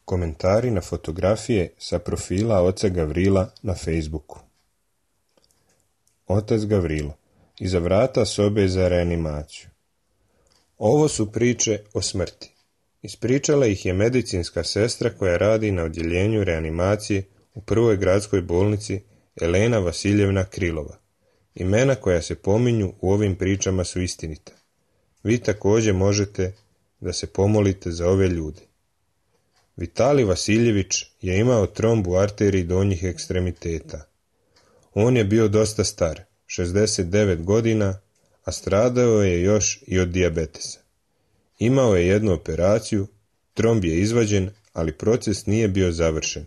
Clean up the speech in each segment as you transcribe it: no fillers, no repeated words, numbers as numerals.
Komentari na fotografije sa profila oca Gavrila na Facebooku. Otac Gavrilo, iza vrata sobe za reanimaciju. Ovo su priče o smrti. Ispričala ih je medicinska sestra koja radi na odjeljenju reanimacije u prvoj gradskoj bolnici Elena Vasiljevna Krilova. Imena koja se pominju u ovim pričama su istinita. Vi također možete da se pomolite za ove ljude. Vitalij Vasiljević je imao tromb u arteriji donjih ekstremiteta. On je bio dosta star, 69 godina, a stradao je još i od dijabetesa. Imao je jednu operaciju, tromb je izvađen, ali proces nije bio završen.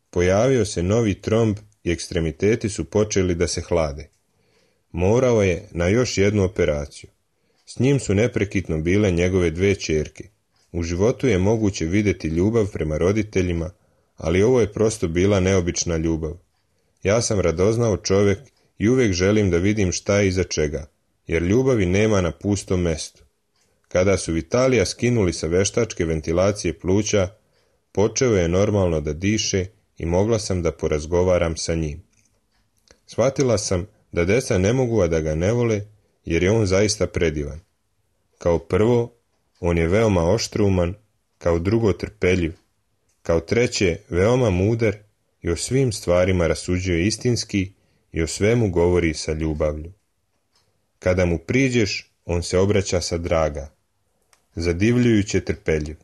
Pojavio se novi tromb i ekstremiteti su počeli da se hlade. Morao je na još jednu operaciju. S njim su neprekidno bile njegove 2 ćerke. U životu je moguće vidjeti ljubav prema roditeljima, ali ovo je prosto bila neobična ljubav. Ja sam radoznao čovjek i uvijek želim da vidim šta je iza čega, jer ljubavi nema na pustom mestu. Kada su Vitalija skinuli sa veštačke ventilacije pluća, počeo je normalno da diše i mogla sam da porazgovaram sa njim. Shvatila sam da deca ne mogu a da ga ne vole, jer je on zaista predivan. Kao prvo, on je veoma oštrouman, kao drugo trpeljiv, kao treće veoma mudar i o svim stvarima rasuđuje istinski i o svemu govori sa ljubavlju. Kada mu priđeš, on se obraća sa draga, zadivljujuće trpeljiv.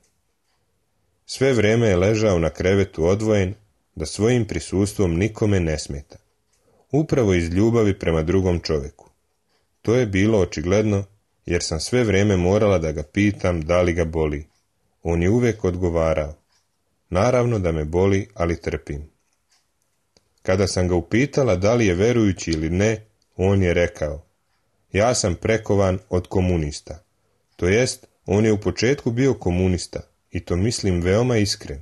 Sve vrijeme je ležao na krevetu odvojen, da svojim prisustvom nikome ne smeta. Upravo iz ljubavi prema drugom čovjeku. To je bilo očigledno, jer sam sve vrijeme morala da ga pitam da li ga boli. On je uvijek odgovarao. Naravno da me boli, ali trpim. Kada sam ga upitala da li je verujući ili ne, on je rekao: ja sam prekovan od komunista. To jest, on je u početku bio komunista, i to mislim veoma iskren,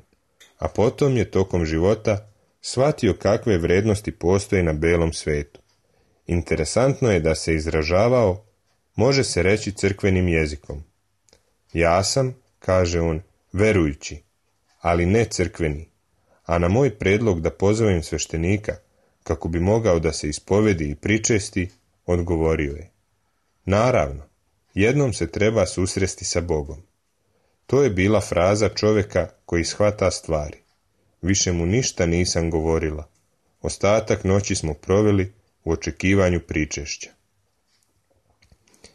a potom je tokom života shvatio kakve vrednosti postoje na belom svetu. Interesantno je da se izražavao, može se reći crkvenim jezikom. Ja sam, kaže on, verujući, ali ne crkveni, a na moj predlog da pozovem sveštenika, kako bi mogao da se ispovedi i pričesti, odgovorio je: naravno, jednom se treba susresti sa Bogom. To je bila fraza čovjeka koji shvata stvari. Više mu ništa nisam govorila. Ostatak noći smo proveli u očekivanju pričešća.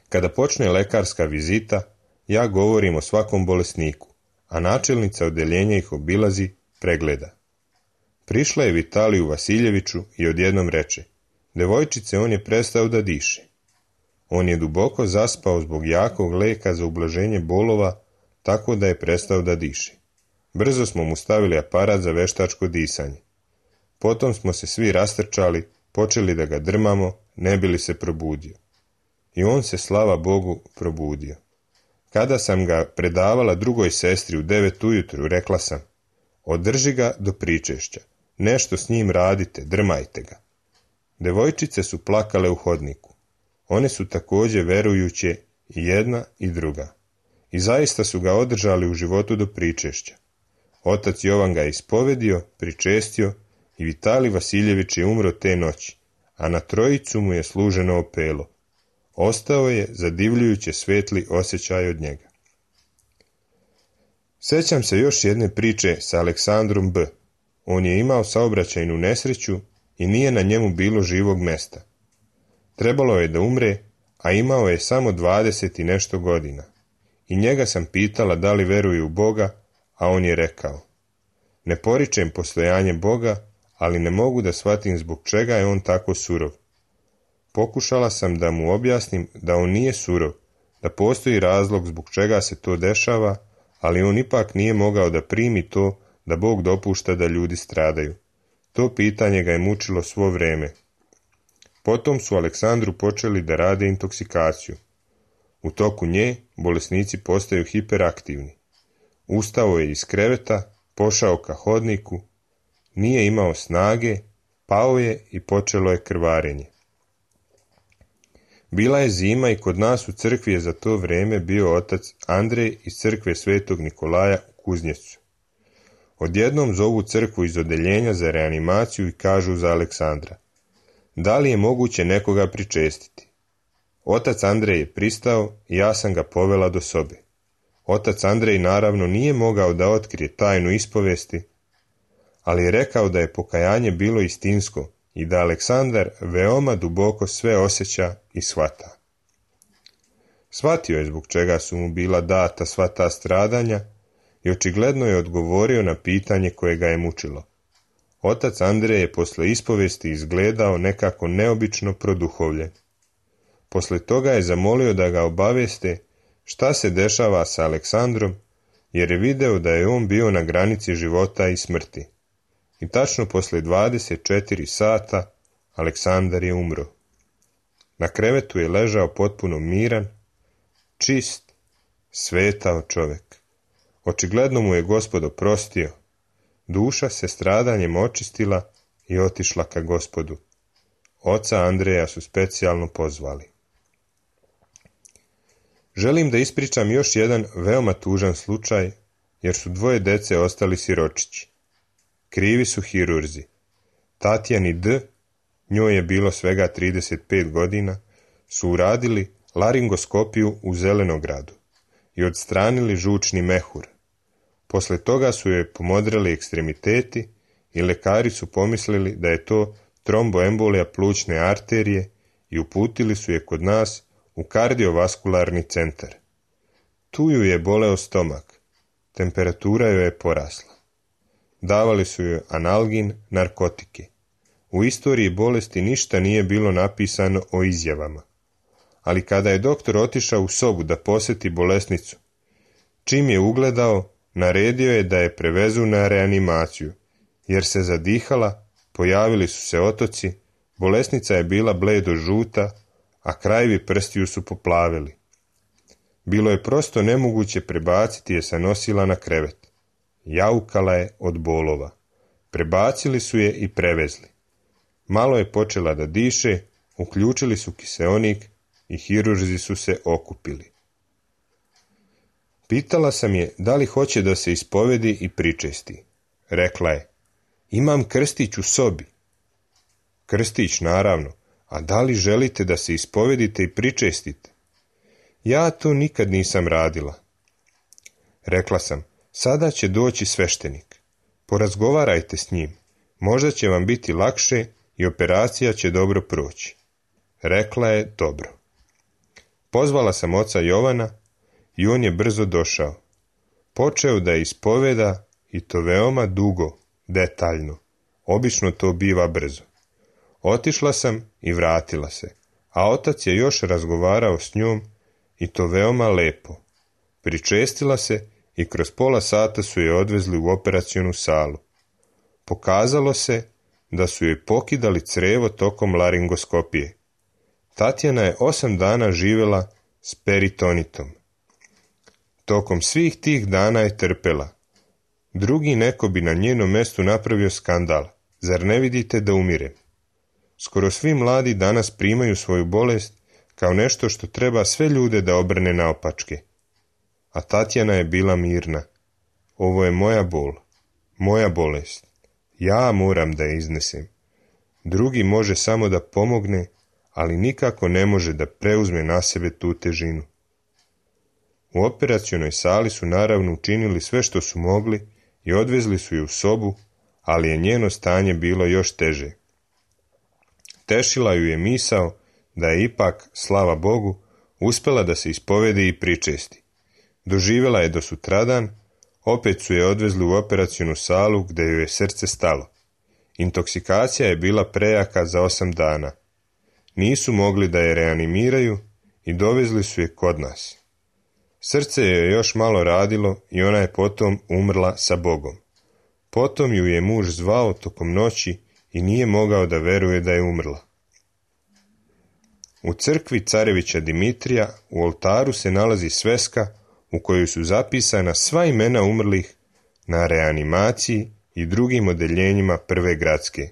Kada počne lekarska vizita, ja govorim o svakom bolesniku, a načelnica odeljenja ih obilazi, pregleda. Prišla je Vitaliju Vasiljeviću i odjednom reče: devojčice, on je prestao da diše. On je duboko zaspao zbog jakog leka za ublaženje bolova, tako da je prestao da diše. Brzo smo mu stavili aparat za veštačko disanje. Potom smo se svi rastrčali, počeli da ga drmamo, ne bi li se probudio. I on se, slava Bogu, probudio. Kada sam ga predavala drugoj sestri u 9 ujutru, rekla sam: održi ga do pričešća, nešto s njim radite, drmajte ga. Devojčice su plakale u hodniku. One su također verujuće, i jedna i druga. I zaista su ga održali u životu do pričešća. Otac Jovan ga je ispovedio, pričestio i Vitalij Vasiljević je umro te noći, a na trojicu mu je služeno opelo. Ostao je zadivljujuće svetli osjećaj od njega. Sjećam se još jedne priče sa Aleksandrom B. On je imao saobraćajnu nesreću i nije na njemu bilo živog mesta. Trebalo je da umre, a imao je samo 20 i nešto godina. I njega sam pitala da li veruje u Boga, a on je rekao: ne poričem postojanje Boga, ali ne mogu da shvatim zbog čega je on tako surov. Pokušala sam da mu objasnim da on nije surov, da postoji razlog zbog čega se to dešava, ali on ipak nije mogao da primi to da Bog dopušta da ljudi stradaju. To pitanje ga je mučilo svo vrijeme. Potom su Aleksandru počeli da rade intoksikaciju. U toku nje bolesnici postaju hiperaktivni. Ustao je iz kreveta, pošao ka hodniku, nije imao snage, pao je i počelo je krvarenje. Bila je zima i kod nas u crkvi je za to vrijeme bio otac Andrej iz crkve Svetog Nikolaja u Kuznjecu. odjednom zovu crkvu iz odeljenja za reanimaciju i kažu za Aleksandra: da li je moguće nekoga pričestiti? Otac Andrej je pristao i ja sam ga povela do sobe. Otac Andrej naravno nije mogao da otkrije tajnu ispovesti, ali je rekao da je pokajanje bilo istinsko i da Aleksandar veoma duboko sve osjeća i shvata. Shvatio je zbog čega su mu bila data sva ta stradanja i očigledno je odgovorio na pitanje koje ga je mučilo. Otac Andrej je posle ispovesti izgledao nekako neobično produhovljen. Posle toga je zamolio da ga obavijeste šta se dešava sa Aleksandrom, jer je video da je on bio na granici života i smrti. I tačno posle 24 sata Aleksandar je umro. Na krevetu je ležao potpuno miran, čist, svetao čovek. Očigledno mu je Gospod oprostio. Duša se stradanjem očistila i otišla ka Gospodu. Oca Andreja su specijalno pozvali. Želim da ispričam još jedan veoma tužan slučaj, jer su 2 dece ostali siročići. Krivi su hirurzi. Tatjani D., njoj je bilo svega 35 godina, su uradili laringoskopiju u Zelenogradu i odstranili žučni mehur. Posle toga su joj pomodreli ekstremiteti i lekari su pomislili da je to tromboembolija plućne arterije i uputili su je kod nas u kardiovaskularni centar. Tu ju je boleo stomak, temperatura joj je porasla. Davali su joj analgin, narkotike. U istoriji bolesti ništa nije bilo napisano o izjavama. Ali kada je doktor otišao u sobu da poseti bolesnicu, čim je ugledao, naredio je da je prevezu na reanimaciju, jer se zadihala, pojavili su se otoci, bolesnica je bila bledo žuta, a krajevi prstiju su poplavili. Bilo je prosto nemoguće prebaciti je sa nosila na krevet. Jaukala je od bolova. Prebacili su je i prevezli. Malo je počela da diše, uključili su kiseonik i hirurzi su se okupili. Pitala sam je da li hoće da se ispovedi i pričesti. Rekla je: imam krstić u sobi. Krstić, naravno, a da li želite da se ispovedite i pričestite? Ja to nikad nisam radila. Rekla sam: sada će doći sveštenik. Porazgovarajte s njim. Možda će vam biti lakše i operacija će dobro proći. Rekla je: dobro. Pozvala sam oca Jovana i on je brzo došao. Počeo da je ispoveda i to veoma dugo, detaljno. Obično to biva brzo. Otišla sam i vratila se, a otac je još razgovarao s njom i to veoma lepo. Pričestila se i kroz pola sata su je odvezli u operacionu salu. Pokazalo se da su joj pokidali crevo tokom laringoskopije. Tatjana je 8 dana živjela s peritonitom. Tokom svih tih dana je trpela. Drugi neko bi na njenom mestu napravio skandal. Zar ne vidite da umirem? Skoro svi mladi danas primaju svoju bolest kao nešto što treba sve ljude da obrne naopačke. A Tatjana je bila mirna. Ovo je moja bol, moja bolest. Ja moram da je iznesem. Drugi može samo da pomogne, ali nikako ne može da preuzme na sebe tu težinu. U operacionoj sali su naravno učinili sve što su mogli i odvezli su je u sobu, ali je njeno stanje bilo još teže. Tešila ju je misao da je ipak, slava Bogu, uspela da se ispovedi i pričesti. Doživjela je do sutradan, opet su je odvezli u operacionu salu gde joj je srce stalo. Intoksikacija je bila prejaka za 8 dana. Nisu mogli da je reanimiraju i dovezli su je kod nas. Srce je još malo radilo i ona je potom umrla sa Bogom. Potom ju je muž zvao tokom noći i nije mogao da veruje da je umrla. U crkvi carevića Dimitrija u oltaru se nalazi sveska u kojoj su zapisana sva imena umrlih na reanimaciji i drugim odeljenjima prve gradske.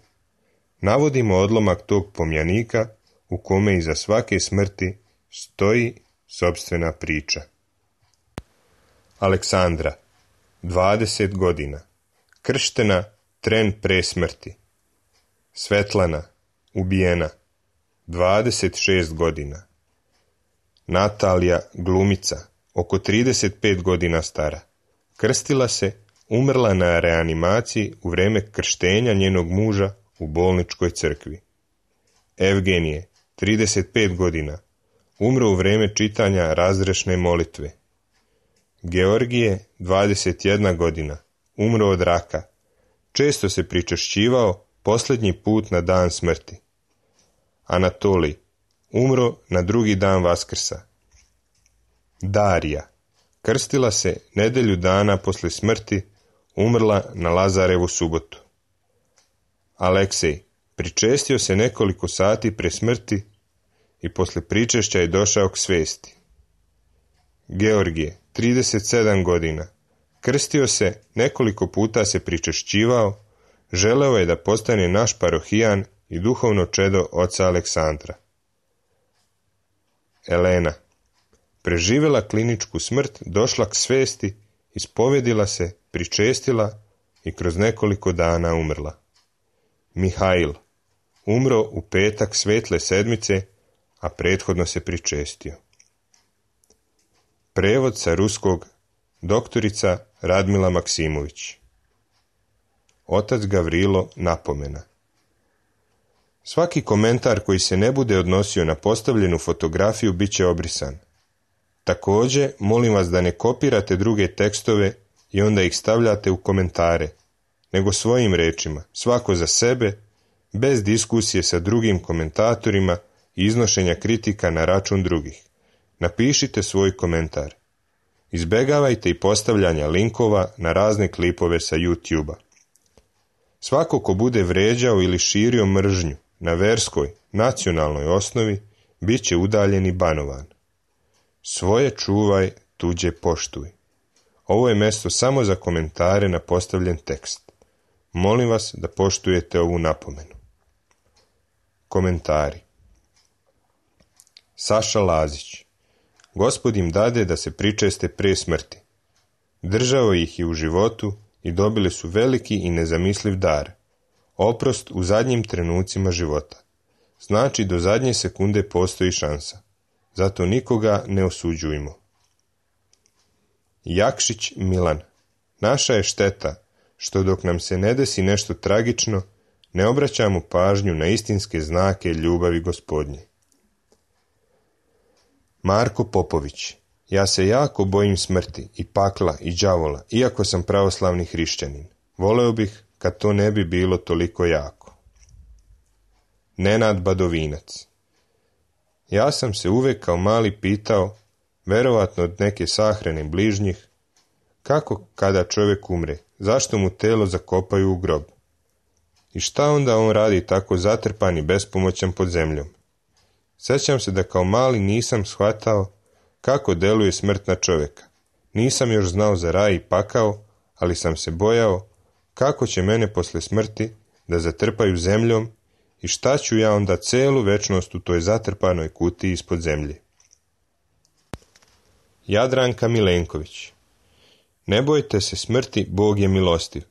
Navodimo odlomak tog pomjanika u kome iza svake smrti stoji sopstvena priča. Aleksandra, 20 godina, krštena tren pre smrti. Svetlana, ubijena, 26 godina. Natalija, glumica, oko 35 godina stara. Krstila se, umrla na reanimaciji u vreme krštenja njenog muža u bolničkoj crkvi. Evgenije, 35 godina, umro u vreme čitanja razrešne molitve. Georgije, 21 godina, umro od raka. Često se pričešćivao posljednji put na dan smrti. Anatolij, umro na drugi dan Vaskrsa. Darija, krstila se nedjelju dana poslije smrti, umrla na Lazarevu subotu. Aleksej, pričestio se nekoliko sati pre smrti i poslije pričešća je došao k svesti. Georgije, 37 godina, krstio se, nekoliko puta se pričešćivao, želeo je da postane naš parohijan i duhovno čedo oca Aleksandra. Elena, preživjela kliničku smrt, došla k svesti, ispovedila se, pričestila i kroz nekoliko dana umrla. Mihail, umro u petak svetle sedmice, a prethodno se pričestio. Prevod sa ruskog, doktorica Radmila Maksimović. Otac Gavrilo napomena. Svaki komentar koji se ne bude odnosio na postavljenu fotografiju bit će obrisan. Također, molim vas da ne kopirate druge tekstove i onda ih stavljate u komentare, nego svojim rečima, svako za sebe, bez diskusije sa drugim komentatorima i iznošenja kritika na račun drugih. Napišite svoj komentar. Izbegavajte i postavljanja linkova na razne klipove sa YouTube-a. Svako ko bude vređao ili širio mržnju na verskoj, nacionalnoj osnovi, bit će udaljen i banovan. Svoje čuvaj, tuđe poštuj. Ovo je mjesto samo za komentare na postavljen tekst. Molim vas da poštujete ovu napomenu. Komentari. Saša Lazić. Gospod im dade da se pričeste pre smrti. Držao ih je u životu i dobili su veliki i nezamisliv dar. Oprost u zadnjim trenucima života. Znači do zadnje sekunde postoji šansa. Zato nikoga ne osuđujmo. Jakšić Milan. Naša je šteta što dok nam se ne desi nešto tragično, ne obraćamo pažnju na istinske znake ljubavi Gospodnje. Marko Popović. Ja se jako bojim smrti i pakla i đavola, iako sam pravoslavni hrišćanin. Voleo bih kad to ne bi bilo toliko jako. Nenad Badovinac. Ja sam se uvek kao mali pitao, verovatno od neke sahrane bližnjih, kako kada čovjek umre, zašto mu telo zakopaju u grob? I šta onda on radi tako zatrpan i bespomoćan pod zemljom? Sjećam se da kao mali nisam shvatao kako deluje smrt na čovjeka. Nisam još znao za raj i pakao, ali sam se bojao kako će mene posle smrti da zatrpaju zemljom i šta ću ja onda celu večnost u toj zatrpanoj kutiji ispod zemlje. Jadranka Milenković. Ne bojte se smrti, Bog je milostiv.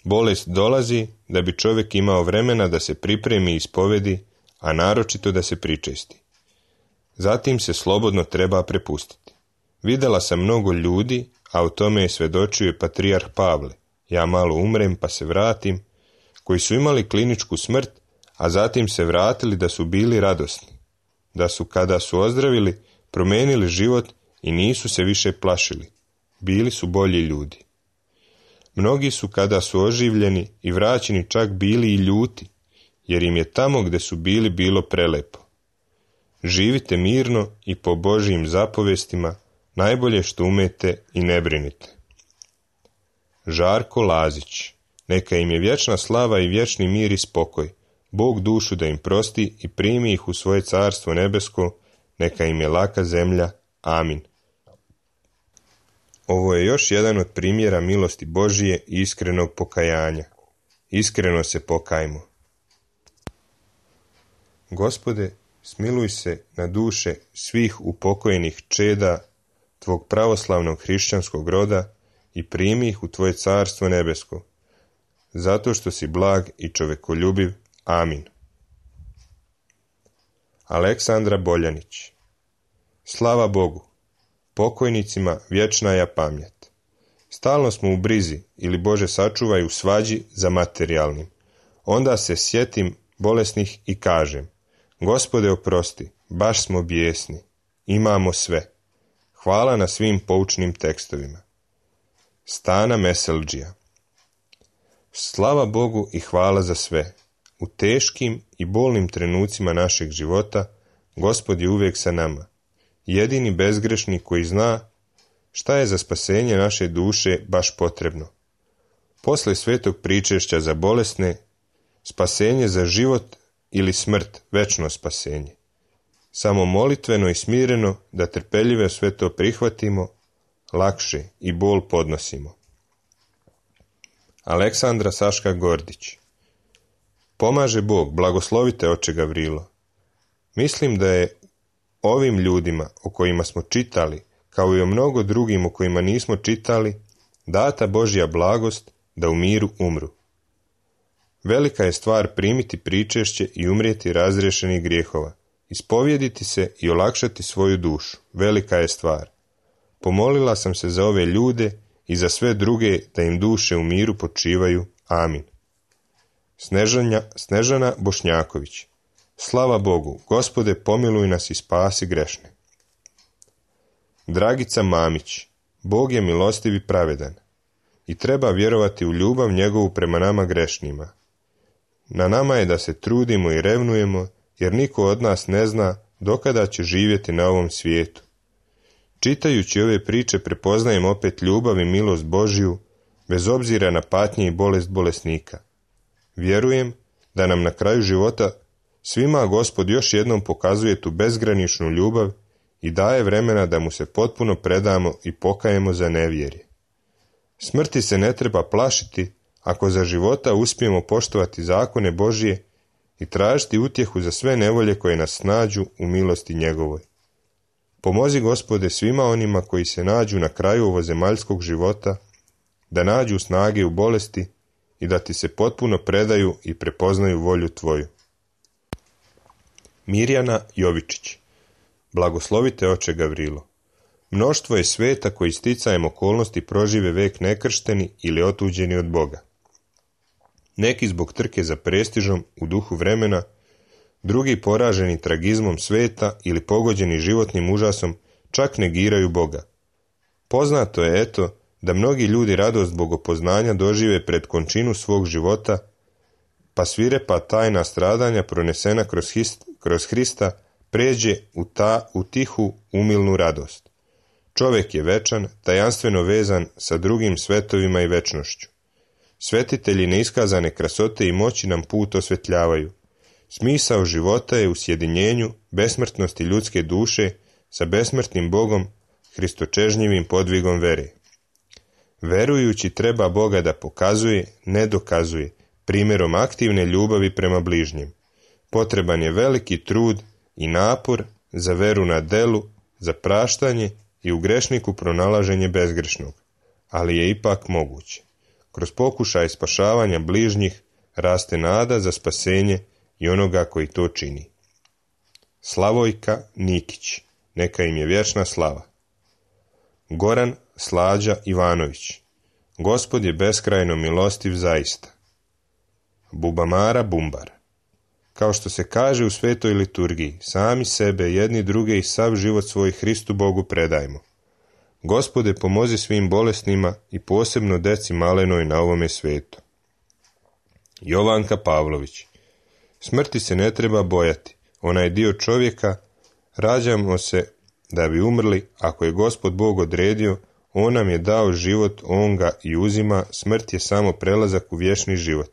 Bolest dolazi da bi čovjek imao vremena da se pripremi i ispovedi, a naročito da se pričesti. Zatim se slobodno treba prepustiti. Videla sam mnogo ljudi, a o tome je svedočio i patrijarh Pavle, ja malo umrem pa se vratim, koji su imali kliničku smrt, a zatim se vratili da su bili radosni, da su kada su ozdravili promijenili život i nisu se više plašili, bili su bolji ljudi. Mnogi su kada su oživljeni i vraćeni čak bili i ljuti, jer im je tamo gdje su bili bilo prelepo. Živite mirno i po Božjim zapovestima, najbolje što umete i ne brinite. Žarko Lazić. Neka im je vječna slava i vječni mir i spokoj. Bog dušu da im prosti i primi ih u svoje carstvo nebesko, neka im je laka zemlja. Amin. Ovo je još jedan od primjera milosti Božije i iskrenog pokajanja. Iskreno se pokajmo. Gospode, smiluj se na duše svih upokojenih čeda Tvog pravoslavnog hrišćanskog roda i primi ih u Tvoje carstvo nebesko. zato što si blag i čovekoljubiv. Amin. Aleksandra Boljanić. Slava Bogu, pokojnicima vječna je pamjet. Stalno smo u brizi ili Bože sačuvaj u svađi za materijalnim. Onda se sjetim bolesnih i kažem: Gospode oprosti, baš smo bijesni, imamo sve. Hvala na svim poučnim tekstovima. Stana Meseldžija. Slava Bogu i hvala za sve. U teškim i bolnim trenucima našeg života Gospod je uvijek sa nama, jedini bezgrešnik koji zna šta je za spasenje naše duše baš potrebno. Posle svetog pričešća za bolesne, spasenje za život ili smrt, večno spasenje. Samo molitveno i smireno da trpeljive sve to prihvatimo, lakše i bol podnosimo. Aleksandra Saška Gordić. Pomaže Bog, blagoslovite oče Gavrilo. Mislim da je ovim ljudima o kojima smo čitali, kao i o mnogo drugim o kojima nismo čitali, data Božja blagost da u miru umru. Velika je stvar primiti pričešće i umrijeti razriješenih grijehova, ispovjediti se i olakšati svoju dušu. Velika je stvar. Pomolila sam se za ove ljude i za sve druge da im duše u miru počivaju. Amin. Snežana Bošnjaković. Slava Bogu, Gospode pomiluj nas i spasi grešne. Dragica Mamić. Bog je milostiv i pravedan i treba vjerovati u ljubav njegovu prema nama grešnima. Na nama je da se trudimo i revnujemo, jer niko od nas ne zna dokada će živjeti na ovom svijetu. Čitajući ove priče prepoznajem opet ljubav i milost Božju, bez obzira na patnje i bolest bolesnika. Vjerujem da nam na kraju života svima Gospod još jednom pokazuje tu bezgraničnu ljubav i daje vremena da mu se potpuno predamo i pokajemo za nevjerje. Smrti se ne treba plašiti ako za života uspijemo poštovati zakone Božje i tražiti utjehu za sve nevolje koje nas snađu u milosti njegovoj. Pomozi, Gospode, svima onima koji se nađu na kraju ovozemaljskog života, da nađu snage u bolesti i da ti se potpuno predaju i prepoznaju volju tvoju. Mirjana Jovičić. Blagoslovite oče Gavrilo. Mnoštvo je sveta koji sticajem okolnosti prožive vek nekršteni ili otuđeni od Boga. Neki zbog trke za prestižom u duhu vremena, drugi poraženi tragizmom sveta ili pogođeni životnim užasom čak negiraju Boga. Poznato je eto da mnogi ljudi radost bogopoznanja dožive pred končinu svog života, pa svirepa tajna stradanja pronesena kroz Hrista pređe u tihu umilnu radost. Čovjek je večan, tajanstveno vezan sa drugim svetovima i večnošću. Svetitelji neiskazane krasote i moći nam put osvetljavaju. Smisao života je u sjedinjenju besmrtnosti ljudske duše sa besmrtnim Bogom, hristočežnjivim podvigom vere. Verujući treba Boga da pokazuje, ne dokazuje, primjerom aktivne ljubavi prema bližnjem. Potreban je veliki trud i napor za veru na delu, za praštanje i u grešniku pronalaženje bezgrešnog, ali je ipak moguće. Kroz pokušaj spašavanja bližnjih raste nada za spasenje i onoga koji to čini. Slavojka Nikić, neka im je vječna slava. Goran Slađa Ivanović. Gospod je beskrajno milostiv zaista. Bubamara Bumbar. Kao što se kaže u svetoj liturgiji, sami sebe, jedni druge i sav život svoj Hristu Bogu predajmo. Gospode, pomozi svim bolesnima i posebno deci malenoj na ovome svetu. Jovanka Pavlović. Smrti se ne treba bojati, ona je dio čovjeka, rađamo se da bi umrli, ako je Gospod Bog odredio, on nam je dao život, on ga i uzima, smrt je samo prelazak u vječni život.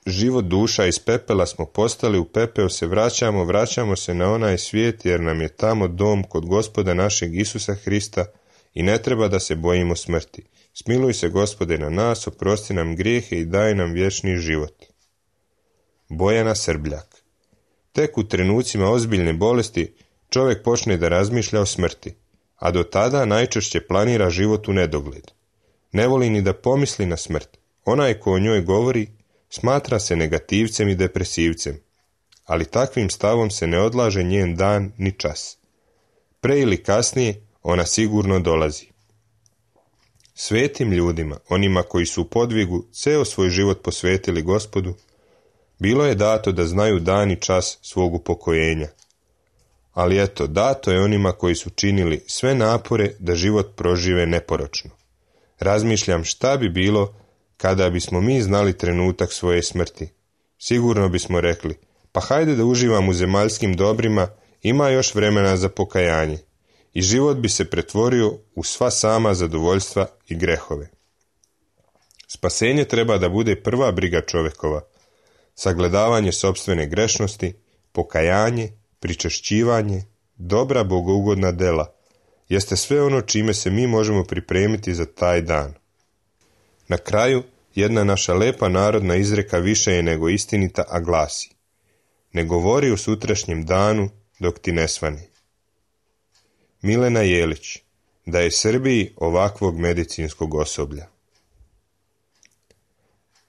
Život duša iz pepela smo postali, u pepeo se vraćamo se na onaj svijet jer nam je tamo dom kod Gospoda našeg Isusa Hrista i ne treba da se bojimo smrti. Smiluj se, Gospode, na nas, oprosti nam grijehe i daj nam vječni život. Bojana Srbljak. Tek u trenucima ozbiljne bolesti čovjek počne da razmišlja o smrti, a do tada najčešće planira život u nedogled. Ne voli ni da pomisli na smrt. Onaj ko o njoj govori, smatra se negativcem i depresivcem, ali takvim stavom se ne odlaže njen dan ni čas. Pre ili kasnije ona sigurno dolazi. Svetim ljudima, onima koji su u podvigu ceo svoj život posvetili Gospodu, bilo je dato da znaju dan i čas svog upokojenja. Ali eto, dato je onima koji su činili sve napore da život prožive neporočno. Razmišljam šta bi bilo kada bismo mi znali trenutak svoje smrti. Sigurno bismo rekli, pa hajde da uživam u zemaljskim dobrima, ima još vremena za pokajanje. I život bi se pretvorio u sva sama zadovoljstva i grehove. Spasenje treba da bude prva briga čovekova, sagledavanje sopstvene grešnosti, pokajanje, pričešćivanje, dobra bogougodna dela, jeste sve ono čime se mi možemo pripremiti za taj dan. Na kraju, jedna naša lepa narodna izreka više je nego istinita, a glasi: ne govori o sutrašnjem danu dok ti ne svane. Milena Jelić, da je Srbiji ovakvog medicinskog osoblja.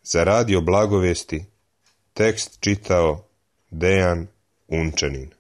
Za radio Blagovesti tekst čitao Dejan Unčanin.